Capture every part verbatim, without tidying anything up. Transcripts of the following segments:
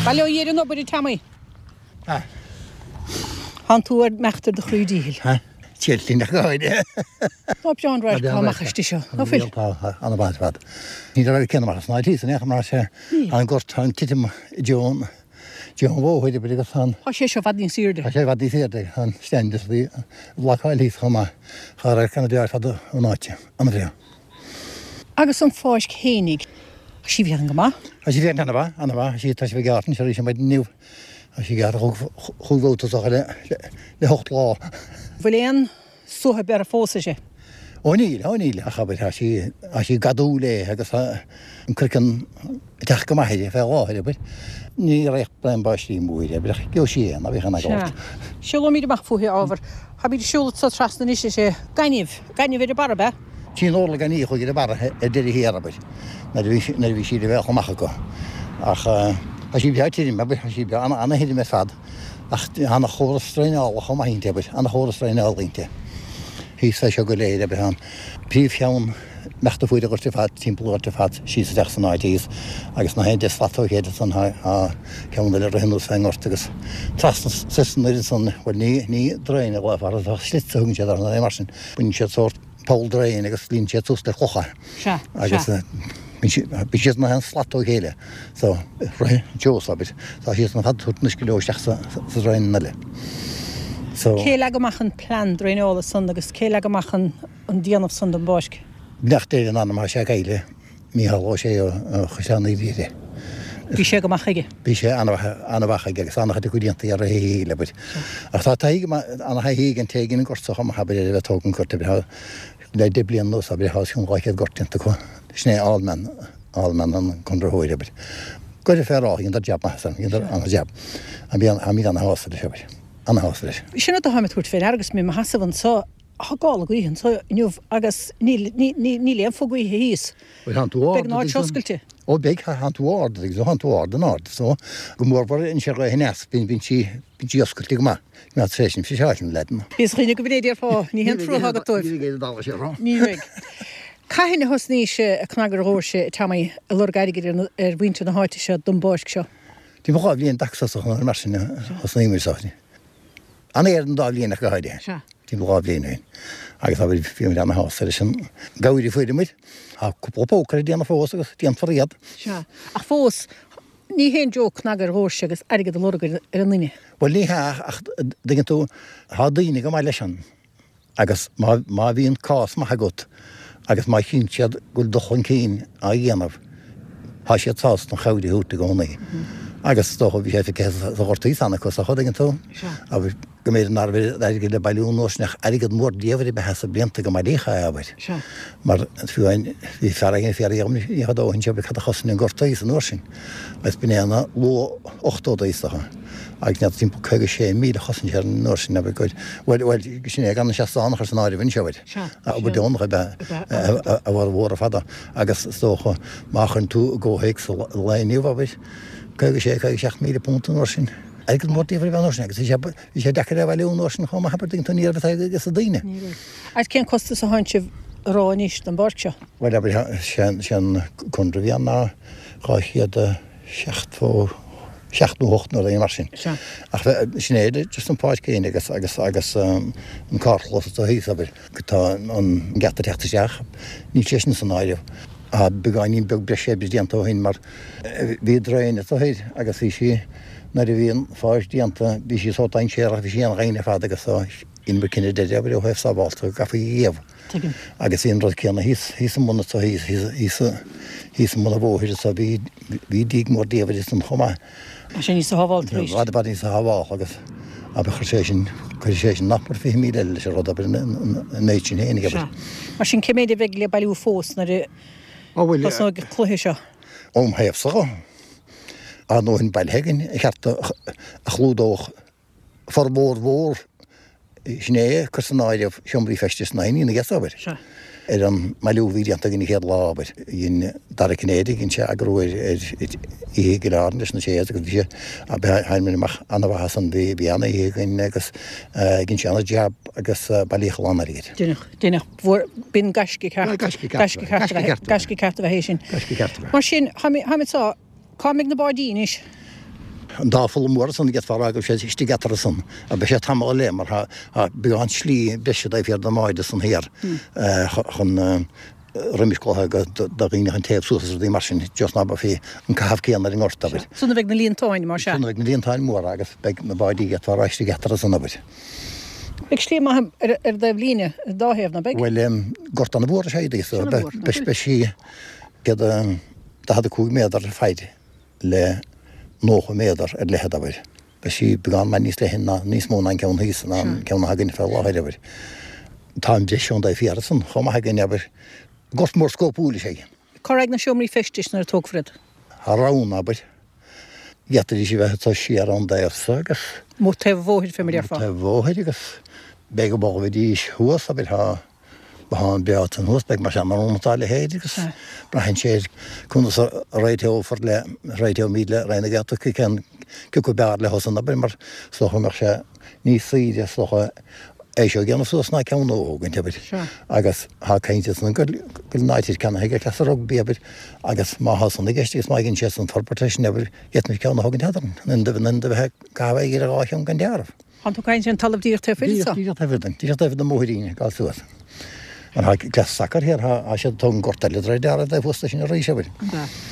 Bail ó Dhia ar an obair, a Tommy. Ah. Thánn tú ar imeacht ar do chroí díchill. Ha? Tíl nach gáide. Tá breá an radharc amach istigh seo. Ná fuil? Tá an-mhaith ar fad. Ní raibh céanna mar sna tí san mar sé an gort an titim deo deo bhóthair agus an Tá sé seo i bhfad níos airde. Tá sé i bhfad níos airde an stand is bhí blocáil thíos chomh maith. Tá radharc an-bhreá ar fad ón áit. An-bhreá. Agus an pháirc fhéinig. Tá sí féachaint go maith. Tá sí féachaint an-mhaith, an-mhaith. Sí tá sí gearrtha anseo arís maidin inniu. Tá sí gearrtha chúig bhabhta is dócha le le hocht lá. Bhfuil aon suaitheadh beirthe fós uirthi? Ó níl, ó níl, ach abair tá sí tá sí ag gadú léi agus tá an craiceann ag teacht go maith uirthi fé láthair, abair. Ní raibh braon báistí mór abair ach gheobhaidh sí é, ná bíodh aon eagla ort. Siúlóimid amach fúithi, ábhar. Táimid ag siúl anso trasna anois, is é gaineamh, gaineamh ar an barra, ab ea? Bhí an orlach gainimh a chuaigh ar an barra ar deireadh thiar, abair, nuair a bhí nuair a bhí sí le bheith amach acu. Ach tá sí breá tirim, abair, tá sí breá ana-thirim ar fad, ach ana-chóras draenála chomh maith inti, abair, ana-chóras draenála inti. Thíos fé seo go léir, abair, tá an príomhcheann imeachta fuair an ghoirt ar fad, timpeall an ghoirt ar fad, síos isteach san áit thíos, agus na haon deich slat ó chéile ansan tá ceann eile ag rith anuas fén ngort agus trasna soir san oiread san, bhuel ní ní draein a ghlaofar air, ach slits a thugann siad orthu nó mar sin, baineann siad sórt poll draein agus líonann siad suas le clocha. Sea, Agus sea. bíonn siad na haon slat ó chéile. So, rith an seos, abair. Tá siad san fad tabhairt an uisce leo isteach sa sa draein eile. So. Cé leag amach an plean draenála san agus cé leag amach an an déanamh san don bpáirc? Beannacht Dé lena anam, tá sé caillte. Mícheál Ó Sé ó Chaisleán Uí Riada. Bhí sé go maith aige. Bhí sé an-mhaith aige agus an-chuid acu déanta i rith a shaoil, abair. Ach tá taithí an-thaithí ag an té a dhein an gort so chomh maith, abair, ar a bheith ag tógaint an ghoirt, abair. Le deich bliana anuas, abair, tá os cionn dhá chéad gort déanta acu. Sin é Allman, Allman an conraitheoir, abair. Go raibh fear áth, dheineadar jab maith as san, dheineadar an-jab. Táimid ana-shásta leis, abair. Ana-shásta leis. Sin rud atá mé ag tabhairt fé ndeara agus mé i mo sheasamh anso. Tá gála gaoithe anso inniu agus níl, ní, ní, níl aon phuth gaoithe thíos. Bhuel, thánn tú ard. Beidh an áit seo oscailte. Ó, beidh, thánn tú ard, agus thánn tú ard an-ard. So, go mórmhór anois ar ghaoth aneas, bíonn, bíonn sí, bíonn sí oscailte go maith. Go mbeadh tréis an fiseáil an leaid. Bhíos dhaoine go bhféidir fá, ní haon trua agat dóibh. Ní bheidh aon dall sé rá. Ní bheidh. Cathain a thosnaís ag cnagadh ar dhoirse, Tommy, ag lorg airgid ar, ar mhuintir na háite seo don bpáirc seo? Timpeall dhá bhliain dtaca is dócha, nó mar sin a thosnaíomar so. An-ghéar an dá bhliain ach go háirithe. Sea. Timpeall dhá bhliain ó shin. Agus abair, bhí muid ana-shásta leis an gcabhair a fuair muid. Tá cúpla póca le déanamh fós agus déanfar iad. Sea. Ach fós, ní haon joke cnagadh ar dhoirse agus airgead a lorg ar an nduine. Bhuel, ní hea, ach dtuigeann tú, tá daoine go maith leis an. Agus má, má bhíonn cás maith agat agus má chíonn siad go bhfuil dul chun cinn á dhéanamh, tá siad sásta an chabhair a thabhairt i gcónaí. Agus is dócha, bhí sé feicthe sa ghort thíos ann acu, is dócha, dtuigeann tú? Abair, go mb'fhéidir ná raibh airgead le bailiú an uair sin ach airgead mór diamhair ab ea é sna blianta go mbailíodh é, abair. Mar fiú amháin, bhí fear éigin ag fiafraí dhom ní fada ó shin, abair, cad a chosain an gort thíos an uair sin. Agus b'in é na luath-ochtóidí, is dócha. Agus n'fheadar, timpeall caoga sé míle a chosain sé air an uair sin, abair, go, bhuel, bhuel, sin é gan an seastán a chur san áireamh anseo, abair. Obair deonach ab ea a bhformhór ar fad agus is dócha má chuireann tú i gcomhthéacs an lae inniu, abair, caoga sé, caoga seacht míle punt an uair sin. Airgead mór diamhair ab ea an uair sin agus bhí sé, bhí sé deacair é a bhailiú an uair sin chomh maith, abair, dtuigeann tú, ní raibh a fhios ag daoine. Ní raibh. Agus cén costas a thánn sibh a rá anois don bpáirc seo? Bhuel, abair, sé an conradh a bhí ann ná dhá chéad a seachtó seacht nó hocht nó rud éigin mar sin. Sea. Ach sin é just an pháirc féin agus, agus, agus an carrchlós atá thíos, abair. Tá an geata ag teacht isteach, níl sé sin san áireamh. Tá beagáinín beag breise oibre déanta ó shin mar bhí draein anseo thoir agus bhí sí, nuair a bhí an pháirc déanta, bhí sí sórt dainséarach, bhí sí an-dhoimhin ar fad agus dheineamar cinneadh deiridh, abair, ó thaobh sábháilte go gcaithfí í a ghéabh. Tuigim. Agus bhí an rud céanna thíos, thíos i mbun anseo thíos, thíos, thíos, thíos i mbun an bhóthair anseo, bhí, bhí díog mór diamhair ansan chomh maith. Tá sé níos sábháilte arís. I bhfad, i bhfad níos sábháilte agus abair chuir sé sin, cuirfidh sé sin nach mór fiche míle eile leis an rud, abair, an méid sin fhéinig, abair. Sea. Mar sin, cé méid a bheidh le bailiú fós nuair a Ó bhuel, thosnóidh an cluiche seo? Óm thaobhsa dho, tá a ndóthain bailithe againn a cheart a chlúdódh formhór mhór, sin é, cuir san áireamh seomraí feistis na ndaoine ina abair. Sea. Ar an mbailiú a bhí déanta againn an chéad lá, abair. Dhein Dara Cinnéide, dhein sé eagrú ar oíche i gCill Airne leis na Séas agus bhí sé, abair, tháinig muid amach an-mhaith as san, bhí, bhí an-oíche againn agus dhein sé an-jab agus bailíodh a lán airgid. Deineadh, deineadh, bhfuair, b'in gaisce ceart. Gaisce ceart. Gaisce ceart a bheith, gaisce ceart a bheith é sin. Gaisce ceart a bheith. Mar sin, tháimid, tháimid seo, cá mbeidh na báidí anois? An dá pholl mór san d'fhéadfá a rá go raibh siad istigh eatarthu san. Beidh sé tamall eile mar tá beagán slí breise taobh thiar den mbád san thiar chun roimis clocha do dhaoine chun téamh suas is rudaí mar sin just ná beifí an caitheamh céanna ar an ngort, abair. San a bheidh na líontáin, mar sea. San a bheidh na líontáin mhóra agus beidh na báidí d'fhéadfá a rá istigh eatarthu san, abair. Beidh slí maith ar an dtaobh líne ar an dá thaobh, ná beidh? Bhuel, gort ana-mhór is ea é so beidh sí céad daichead a cúig méadar ar faid le nócha méadar ar leithead, abair. Beidh sí beagán maith níos leithne ná, níos mó ná an ceann thíos, ná an ceann atá againn fé láthair, abair. Tá an breis ón dtaobh thiar san chomh maith againn, abair. Gort mór scópúil is ea é. Cá raghaidh na seomraí feistis nuair a tógfar iad? Tá roghanna, abair. D'fhéadfaidís a bheith ag dul siar ón dtaobh so agus. Amuigh taobh an bhóthair, fé mar a déarfá. Taobh an bhóthair agus beidh go bhfágfaidís thuas, abair, tá. Bothán breá ansan thuas, beidh mar sin ann dá leithéid agus braitheann sé ar conas a réiteofar le, réiteoimid le Roinn na Gaeltachta cén cé acu b'fhearr leo san abair mar is dócha go mbeadh sé níos saoire is dócha é seo a dhéanamh suas ná ceann nua a thógaint abair agus tá caint ansan go bhfuil an áit ceannaithe ag cleas an rugbaí abair agus má thá san i gceist agus má fhaigheann siad san forbairt leis sin abair d'fhéadfaimis ceann a thógaint eadrainn in ionad a bheith ag caitheamh airgid ar dhá cheann gan dealramh. Tá tú ag caint ar an talamh díreach taobh thoir de. Díreach taobh thiar, díreach taobh thiar den mbóithrín ag dul suas. Mar tá cleas sacair thiar, tá siad ag tógaint gort eile de réir dealraimh taobh thuas de sin arís, abair.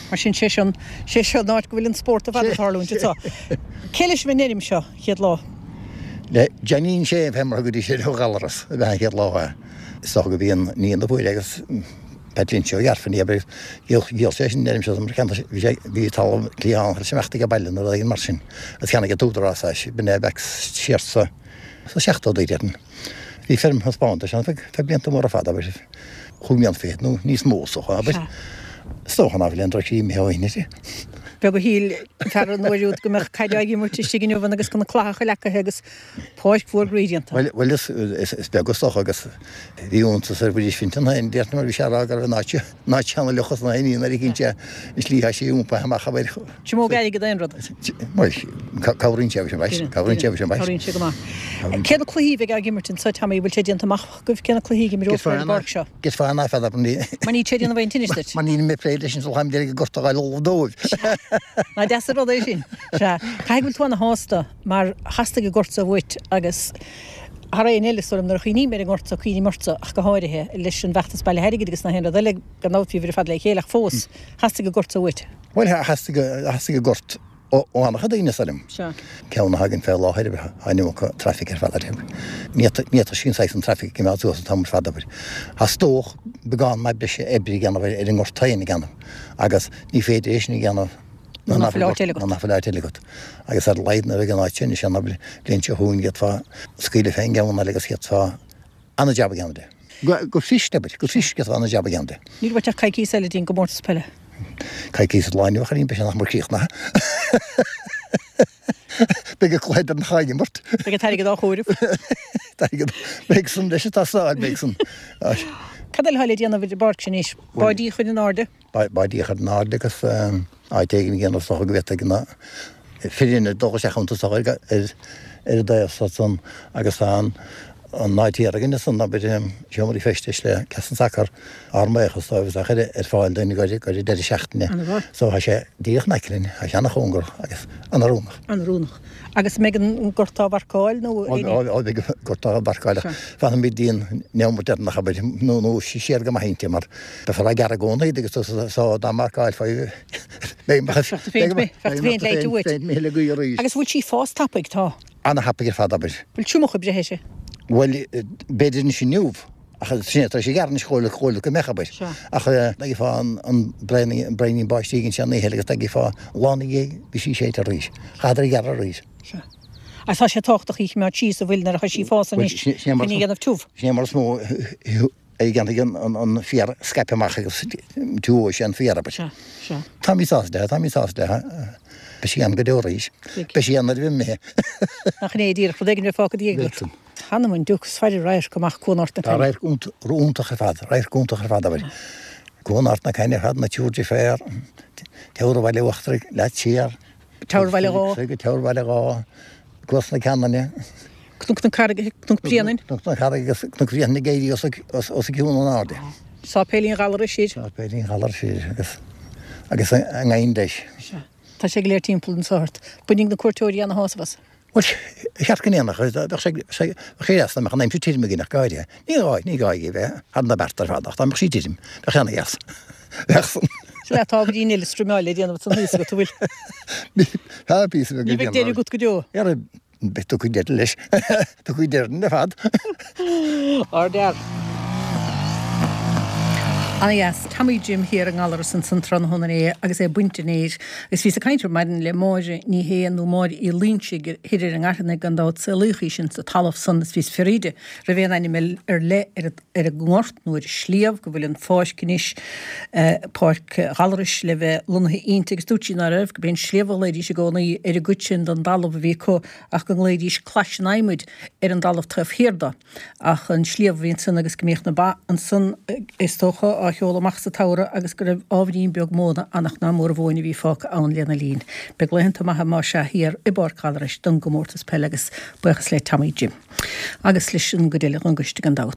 Mar sin, sé seo, sé seo an áit go bhfuil an spórt ar fad ag tarlúint anseo. Cé leis an bhfeirm seo chéad lá? Le Johnny Shane fé mar a thugaidís air ó Ghallaras ab ea an chéad lá é. Is dócha go bhí an níon a fuair é agus Pat Lynch ó Ghearfain í abair dhíol sé sin an fheirm seo mar cheantar bhí sé bhí talamh cliathán chuir sé imeacht ag baile nó rud éigin mar sin agus cheannaigh an tÚdarás é b'in é back siar sa sa seachtóidí déarfainn. Bhí feirm thaispeántais ann feadh feadh blianta móra fada abair chúig mbliana fichead nó níos mó is dócha abair. Is dócha ná fuil aon drochshlí imithe ó shin uirthi. Beag a shíl an fear an uair úd go mbeadh caid á imirt istigh inniu ann agus go na clathacha leacaithe agus páirc mhór groí déanta. Bhuel, bhuel is, is, is beag is dócha agus bhí iontas ar Mhuiris Fintan féin, déarfainn, mar bhí sé ag rá go raibh an áit seo, an áit seo ana-fhliuch is na haon nuair a chinn sé an slí atá sí iompaithe amach abair. Is mó airgead aon rud. Bhuel, cabhraíonn sé leis an bhfaisean, cabhraíonn sé leis an bhfaisean. Cabhraíonn sé go maith. Cé na cluichí a bheidh á n-imirt anseo, Tommy, bhfuil sé déanta amach agaibh cé na cluichí a imreofar ar an bpáirc seo? Gheofá an fad mar níl sé ag déanamh aon tinnis duit. Mar níl mé ag plé leis an táim ag gort a ghabháil ullamh dóibh. Nach deas an rud é sin. Sea. Caithfidh go bhfuil tú ana-shásta mar theastaigh an gort seo uait agus thar aon eile is dóigh liom nuair a chuimhním ar an ngort seo cuimhním ortsa ach go háirithe leis an bhfeachtas bailithe airgid agus nach aon rud eile gan dabht bhíobhair ar fad le chéile ach fós theastaigh an gort seo uait. Bhuel theastaigh theastaigh an gort ó an-chuid daoine is dóigh liom. Sea. Ceann atá againn fé láthair, tá an iomarca traffic ar fad air. Ní fhéadfadh sí an saghas an traffic a choimeád suas an t-am ar fad, abair. Theastódh beagán maith breise oibre a dhéanamh ar an ngort féin a dhéanamh agus ní féidir é sin a dhéanamh nuair nach bhfuil áit eile agat. Nuair nach bhfuil áit eile agat. Agus ar a laghad nuair a bheidh an áit sin, sin an bhliain seo chugainn d'fhéadfá scaoileadh fén gceann eile agus d'fhéadfá ana-jab a dhéanamh de. Go fuirist, abair, go fuirist d'fhéadfá ana-jab a dhéanamh de. Níl uait ach coicíos eile dtí'n gcomórtas peile. Coicíos ón lá inniu, a chailín, beidh sé nach mór críochnaithe. Beidh an cluiche deireanach á imirt. Beidh an t-airgead á chomhaireamh. T-airgead, beidh san leis an tástáil, beidh san. Cad eile atá le déanamh ar an bpáirc sin anois? Báidí a chur in airde? Báidí a chur in airde agus áit éigin a dhéanamh is dócha go bhféadfaidh na foireann dul isteach iontu is dócha ar an dtaobh so san agus tá an an áit thiar againn ansan abair seomraí feistis le cleas an tsacair ár mbuíochas dóibh is á chur ar fáil dúinn ag an deireadh seachtaine so tá sé díreach in aice linn, tá sé ana-chóngarach agus ana-oiriúnach. Ana-oiriúnach. Agus an mbeidh an gort á mharcáil nó aon ní? Ó beidh an gort á mharcáil ach fanfaimid dtí an neomat deireanach abair nó nó siar go maith inti mar Beifear á gearradh i gcónaí agus so dá marcáilfí beidh féin léite uait. Agus bhfuil sí ag fás tapaidh? Tá. Ana-thapaidh ar fad, abair. Bhfuil triomach ag breith uirthi? Bhuel, b'fhéidir anois inniu, ach sin é, tar éis a ghearradh anois chomh chomh go mbeadh, abair. Ach dá bhfaighfeá an braonín báistí éigin an oíche eile agus dá bhfaighfeá lá ina dhiaidh, bhí sí séidte arís. Chaitheadar a ghearradh arís. Sea. Agus tá sé tábhachtach í a choimeád síos, an bhfuil, nuair atá sí ag fás anois, chun í a dhéanamh tiubh. Sin é mar is mó a dhéanfaidh an féar scaipthe amach agus tiubhóidh sé an féar, abair. Sea, sea. Táimid sásta léi, táimid sásta léi. Beidh sí ann go deo arís. Beidh sí ann nuair a bheidh imithe. Nach in é díreach, rud éigin a bheith fágtha i do dhiaidh agat. Th'anam 'on diúc, is faire radharc amach Cuan Ard na Cainne. Tá radharc iontach ar fad, radharc iontach ar fad, abair. Cuan Ard na Cainne ar fad, na Túir Deiféar, Teamhair an Bhaile Uachtaraigh, leat siar. Teamhair Bhaile Dhá. Go Teamhair Bhaile Dhá, Cuas na Ceanainne. Cnoc na Carraige, Cnoc Bhréanainn. Cnoc na Carraige agus Cnoc Bhréanainn ag éirí os os cionn in airde. Sáipéilín Ghallarais siar. Sáipéilín Ghallarais siar agus agus an nGaindeis. Sea. Tá sé go léir timpeall anso ort. Bainfidh na cuairteoirí ana-shásamh as. Bhuel, cheart go ndéanfadh, bheadh sé, bheadh sé deas dá mbeadh an aimsir tirim againn ach go háirithe. Ní gá, ní gá í a bheith thar na bearta ar fad ach dá mbeadh sí tirim, bheadh sé ana-dheas. Bheadh san. Sea, tá ábhairín eile struimeáil le déanamh ansan thíos agat, an bhfuil? Tá píosa beag le déanamh. Ní bheidh deireadh agat go deo. Ara, beidh, tiocfaidh deireadh leis. Tiocfaidh deireadh ar fad. Ardfhear. Ana-dheas. Tommy Jim thiar i nGallaras ansan tráthnóna inné agus é ag baint an fhéir. Agus bhíos ag caint ar maidin le Máire Ní Shé nó Máire Uí Loingsigh thoir ar an nGairfeanaigh gan dabht saolaíodh í sin sa talamh san is bhíos ag fiafraí di raibh aon ainm ar leith ar ar an ngort nó ar an sliabh go bhfuil an pháirc anois, Páirc Ghallarais le bheith lonnaithe inti agus dúirt sí ná raibh, go b'é an sliabh a ghlaoidís i gcónaí ar an gcuid sin den dtalamh a bhí acu ach go nglaoidís Clais an Adhmaid ar an dtalamh taobh thiar de. Ach an sliabh a bhí ansan agus go mbíodh na ba ansan is dócha á sheoladh amach sa tsamhradh agus go raibh ábhairín beag móna ann ach ná mór an mhóin a bhí fágtha ann lena linn. Beidh laethanta maithe más ea thiar i bPáirc Ghallarais don gcomórtas peile agus buíochas le Tommy Jim agus leis an gcuid eile den gcoiste gan dabht.